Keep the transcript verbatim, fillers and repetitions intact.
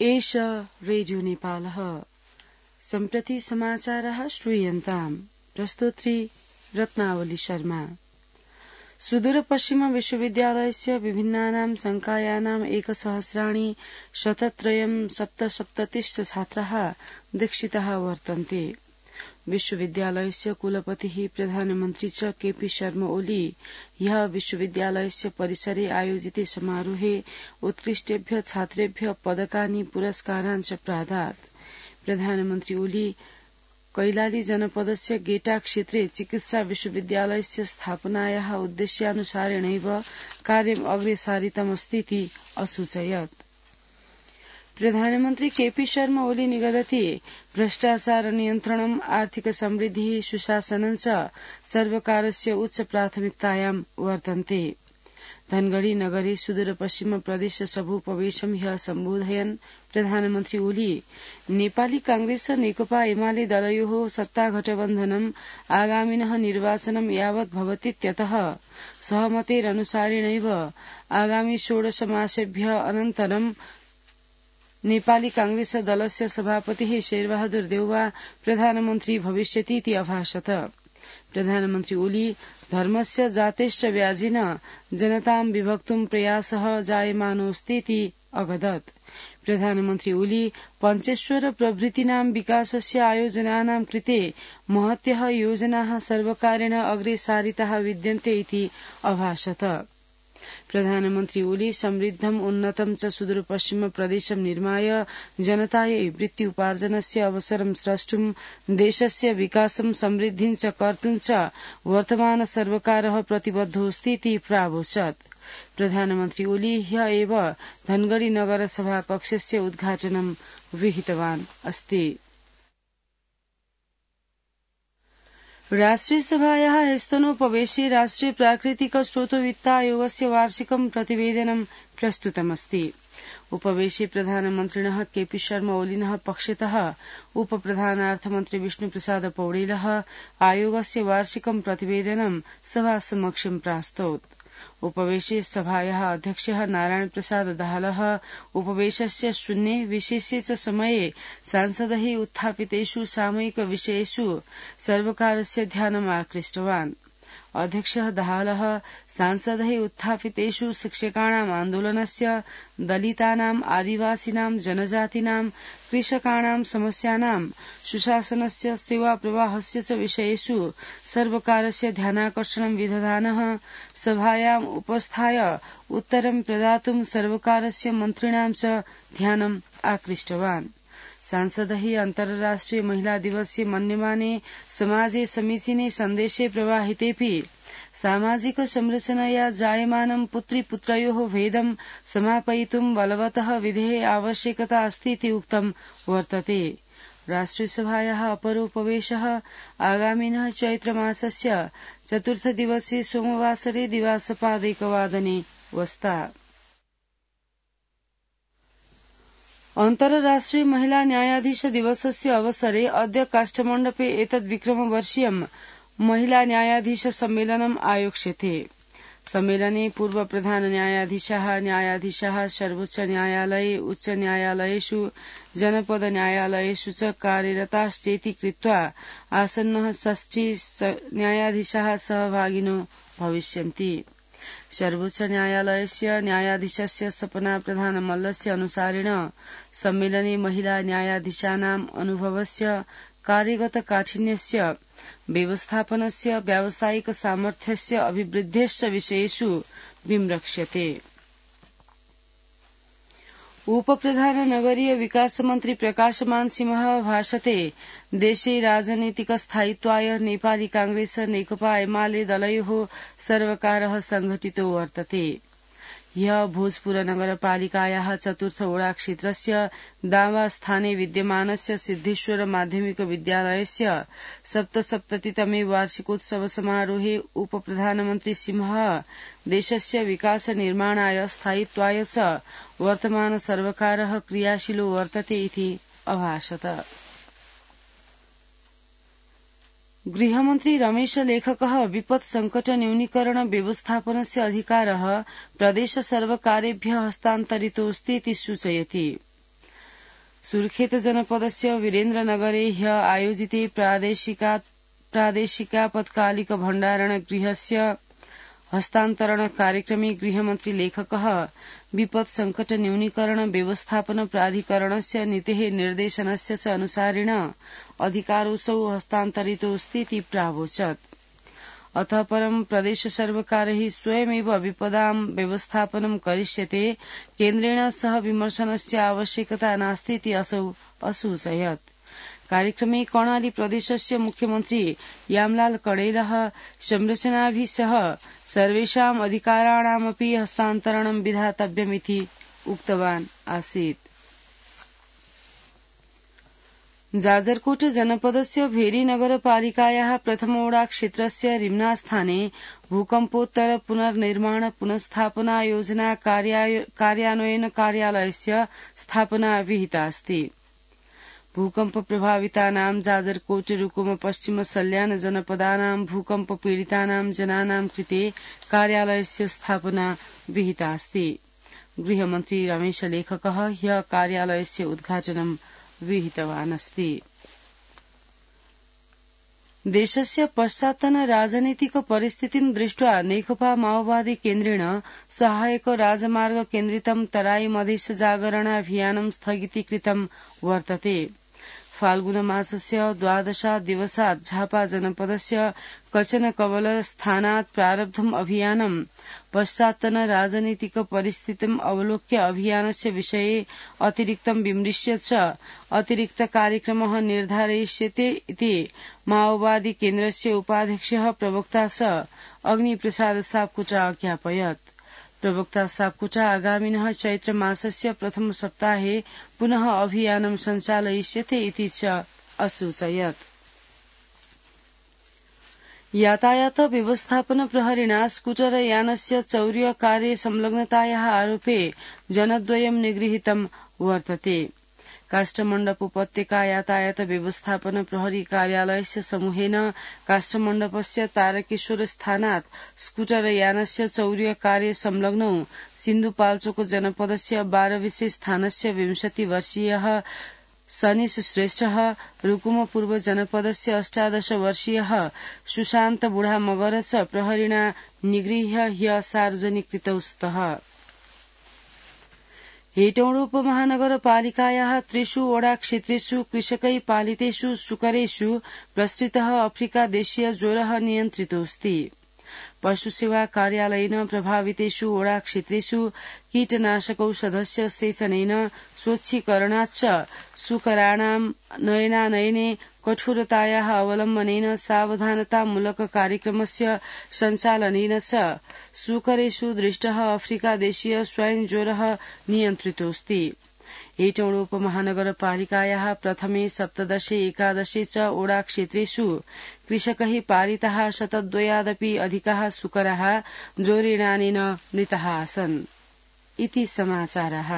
एष रेडियो नेपालः। सम्प्रति समाचारः श्रूयन्ताम्। प्रस्तोत्री रत्नावली शर्मा। सुदूरपश्चिम विश्वविद्यालयस्य विभिन्नानां संकायानाम् एकसहस्राणि शतत्रयं सप्तसप्ततिश्च छात्राः दीक्षिताः वर्तन्ते। विश्वविद्यालयस्य कुलपतिः प्रधानमन्त्री च केपी शर्मा ओली ह्यः विश्वविद्यालयस्य परिसरे आयोजिते समारोहे उत्कृष्टेभ्य छात्रेभ्य पदकानि पुरस्कारान् च प्रादात्। प्रधानमन्त्री ओली कैलाली जनपदस्य गेटा क्षेत्रे चिकित्सा विश्वविद्यालयस्य स्थापनायाः उद्देश्यानुसारेणैव कार्यम् अग्रे सारितमस्तीति असूचयत्। प्रधानमन्त्री केपी शर्मा ओली निगदति भ्रष्टाचार नियन्त्रणम् आर्थिक समृद्धिः सुशासनं च सर्वकारस्य उच्च प्राथमिकतायां वर्तन्ते। धनगढ़ी नगरे सुदूरपश्चिम प्रदेश सभोपवेशं ह्यः सम्बोधयन् प्रधानमन्त्री ओली नेपाली कांग्रेस नेकपा एमाले दलयोः सत्तागठबन्धनम् आगामिनः निर्वाचनं यावत् भवतीत्यतः सहमतेरनुसारेणैव आगामि षोडश मासेभ्यः अनन्तरं नेपाली कांग्रेस दलस्य सभापतिः शेरबहादुर देउवा प्रधानमन्त्री भविष्यतीति अभाषत। प्रधानमन्त्री ओली धर्मस्य जातेश्च व्याजिन जनतां विभक्तुं प्रयासः जायमानोऽस्तीति अगदत्। प्रधानमन्त्री ओली पञ्चेश्वर प्रभृतीनां विकासस्य आयोजनानां कृते महत्यः योजनाः सर्वकारेण अग्रे सारिताः विद्यन्ते इति अभाषत। प्रधानमन्त्री ओली समृद्धम् उन्नतं च सुदूरपश्चिम प्रदेशं निर्माय जनतायै वृत्त्युपार्जनस्य अवसरं स्रष्टुं देशस्य विकासं समृद्धिं च कर्तुं च वर्तमान सर्वकारः प्रतिबद्धोऽस्तीति प्रावोचत्। प्रधानमन्त्री ओली ह्यः एव धनगढ़ी नगर सभा कक्षस्य उद्घाटनं विहितवान् अस्ति। राष्ट्रिय सभायाः ह्यस्तनोपवेशे राष्ट्रिय प्राकृतिक स्रोतोवित्तायोगस्य वार्षिकं प्रतिवेदनं प्रस्तुतमस्ति। उपवेशे प्रधानमन्त्रिणः केपी शर्मा ओलिनः पक्षतः उपप्रधानार्थमन्त्री विष्णुप्रसाद पौडेलः आयोगस्य वार्षिकं प्रतिवेदनं सभासमक्षं प्रास्तौत्। उपवेशे सभायाः अध्यक्षः नारायण प्रसाद दाहालः उपवेशस्य शून्ये विशेषे च समये सांसदैः उत्थापितेषु सामयिक विषयेषु सर्वकारस्य ध्यानम् आकृष्टवान्। अध्यक्षः दाहालः सांसदैः उत्थापितेषु शिक्षकाणाम् आन्दोलनस्य, दलितानाम्, आदिवासिनां, जनजातीनां, कृषकाणां समस्यानां, सुशासनस्य, सेवाप्रवाहस्य च विषयेषु सर्वकारस्य ध्यानाकर्षणं विदधानः सभायाम् उपस्थाय उत्तरं प्रदातुं सर्वकारस्य मन्त्रिणां च ध्यानम् आकृष्टवान्। सांसदैः अन्तर्राष्ट्रिय महिला दिवसे मन्यमाने समाजे समीचीने सन्देशे प्रवाहितेऽपि सामाजिक संरचनया जायमानं पुत्री पुत्रयोः भेदं समापयितुं बलवतः विधेः आवश्यकता अस्तीति उक्तं वर्तते। राष्ट्रियसभायाः अपरोपवेशः आगामिनः चैत्रमासस्य चतुर्थ दिवसे सोमवासरे दिवासपादैकवादने वस्ता। अन्तर्राष्ट्रिय महिला न्यायाधीश दिवसस्य अवसरे अद्य काष्ठमण्डपे एतद् विक्रमवर्षीयं महिला न्यायाधीश सम्मेलनम् आयोक्ष्यते। सम्मेलने पूर्व प्रधान न्यायाधीशाः न्यायाधीशाः सर्वोच्च न्यायालये, उच्च न्यायालयेषु, जनपद न्यायालयेषु च कार्यरताश्चेति कृत्वा आसन्नः षष्ठी न्यायाधीशाः सहभागिनो भविष्यन्ति। सर्वोच्च न्यायालयस्य न्यायाधीशस्य सपना प्रधान मल्लस्य अनुसारेण सम्मेलने महिला न्यायाधीशानाम् अनुभवस्य, कार्यगत काठिन्यस्य, व्यवस्थापनस्य, व्यावसायिक सामर्थ्यस्य अभिवृद्धेश्च विषयेषु विमृक्ष्यते। उपप्रधान नगरीय विकास मन्त्री प्रकाशमान सिंहः भाषते देशे राजनीतिक स्थायित्वाय नेपाली कांग्रेस नेकपा एमाले दलयोः सर्वकारः संघटितो वर्तते। ह्यः भोजपुर नगरपालिकायाः चतुर्थ वडा क्षेत्रस्य दावा स्थाने विद्यमानस्य सिद्धेश्वर माध्यमिक विद्यालयस्य सप्तसप्ततितमे वार्षिकोत्सव समारोहे उपप्रधानमन्त्री सिंहः देशस्य विकास निर्माणाय स्थायित्वाय च वर्तमान सर्वकारः क्रियाशीलो वर्तते इति अभाषत। गृहमन्त्री रमेश लेखकः विपत् संकट न्यूनीकरण व्यवस्थापनस्य अधिकारः प्रदेश सर्वकारेभ्यः हस्तान्तरितोऽस्ति इति सूचयति। सुर्खेत जनपदस्य वीरेन्द्रनगरे ह्य आयोजिते प्रादेशिका प्रादेशिकापत्कालिक भण्डारण गृहस्य हस्तान्तरण कार्यक्रमे गृहमन्त्री लेखकः विपत् संकट न्यूनीकरण व्यवस्थापन प्राधिकरणस्य नीतेः निर्देशनस्य च अनुसारेण अधिकारोऽसौ हस्तान्तरितोऽस्तीति प्रावोचत्। अतः परं प्रदेश सर्वकारैः स्वयमेव विपदां व्यवस्थापनं करिष्यते, केन्द्रेण सह विमर्शनस्य आवश्यकता नास्तीति असौ असूचयत्। कार्यक्रमे कर्णाली प्रदेशस्य मुख्यमन्त्री यामलाल कणेलः संरचनाभिः सह सर्वेषाम् अधिकाराणामपि हस्तान्तरणं विधातव्यमिति उक्तवान् आसीत्। जाजरकोट जनपदस्य भेरी नगरपालिकायाः प्रथमोडा क्षेत्रस्य रिम्नास्थाने भूकम्पोत्तर पुनर्निर्माण पुनस्थापना योजना कार्यान्वयन कार्यालयस्य स्थापना विहिता अस्ति। भूकम्प प्रभावितानां जाजरकोट रुकुम पश्चिम सल्यान जनपदानां भूकम्प पीडितानां जनानां कृते कार्यालयस्य स्थापना विहिता अस्ति। गृहमन्त्री रमेश लेखकः ह्यः कार्यालयस्य उद्घाटनं विहितवान् अस्ति। देशस्य पश्चात्तन राजनीतिक परिस्थितिं दृष्ट्वा नेकपा माओवादी केन्द्रेण सहायक राजमार्ग केन्द्रितं तराई मधेश जागरणाभियानं स्थगितीकृतं वर्तते। फाल्गुनमासस्य द्वादशात् दिवसात् झापा जनपदस्य कचन कवल स्थानात् प्रारब्धम् अभियानं पश्चात्तन राजनीतिक परिस्थितिम् अवलोक्य अभियानस्य विषये अतिरिक्तं विमृश्य च अतिरिक्त कार्यक्रमः निर्धारयिष्यते इति माओवादी केन्द्रस्य उपाध्यक्षः प्रवक्ता च अग्निप्रसाद सापकोटा अज्ञापयत्। प्रवक्ता सापकोटा आगामिनः चैत्रमासस्य प्रथम सप्ताहे पुनः अभियानं सञ्चालयिष्यते इति च असूचयत्। यातायात व्यवस्थापन प्रहरिणा स्कूटर यानस्य चौर्यकार्ये संलग्नतायाः आरोपे जनद्वयं निगृहीतं वर्तते। काष्ठमण्डप उपत्यका यातायात व्यवस्थापन प्रहरी कार्यालयस्य समूहेन काष्ठमण्डपस्य तारकेश्वर स्थानात् स्कूटर यानस्य चौर्यकार्ये संलग्नौ सिन्धुपाल्चोक जनपदस्य बारविसे स्थानस्य विंशति वर्षीयः सनीश श्रेष्ठः, रुकुम पूर्व जनपदस्य अष्टादश वर्षीयः सुशान्त बुढा मगर च प्रहरिणा निगृह्य ह्य सार्वजनिकृतौ स्तः। हेटौडा उपमहानगरपालिकायाः त्रिषु वडा क्षेत्रेषु कृषकै पालितेषु सुकरेषु प्रसृतः अफ्रीका देशीय ज्वरः नियन्त्रितोऽस्ति। पशुसेवा कार्यालयेन प्रभावितेषु वडा क्षेत्रेषु कीटनाशकौषधस्य सेचनेन स्वच्छीकरणाच्च सुकराणां नयनानयने कठोरतायाः अवलम्बनेन सावधानतामूलक कार्यक्रमस्य सञ्चालनेन च सुकरेषु दृष्टः अफ्रीका देशीय स्वाइन ज्वरः नियन्त्रितोऽस्ति। हेटौडा उपमहानगरपालिकायाः प्रथमे सप्तदशे एकादशे च ओडा क्षेत्रेषु कृषकैः पालिताः शतद्वयादपि अधिकाः सुकराः ज्वरेणानेन मृताः आसन्। इति समाचारः।